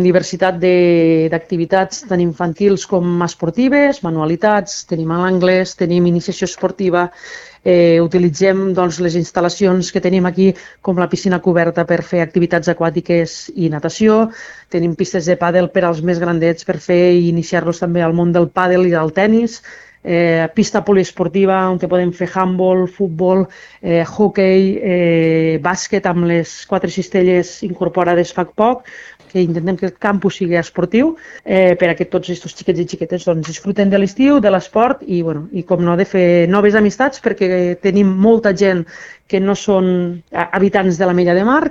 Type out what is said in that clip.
diversitat d'activitats tant infantils com esportives, manualitats, tenim l'anglès, tenim iniciació esportiva, utilitzem les instal·lacions que tenim aquí com la piscina coberta per fer activitats aquàtiques i natació, tenim pistes de pàdel per als més grandets per fer i iniciar-los també al món del pàdel i del tennis, pista poliesportiva on podem fer handball, futbol, hoquei, bàsquet amb les 4 cistelles incorporades fa poc, que intentem que el campus sigui esportiu perquè tots aquests xiquets i xiquetes disfruten de l'estiu, de l'esport i com no, de fer noves amistats perquè tenim molta gent que no són habitants de la Mella de Mar,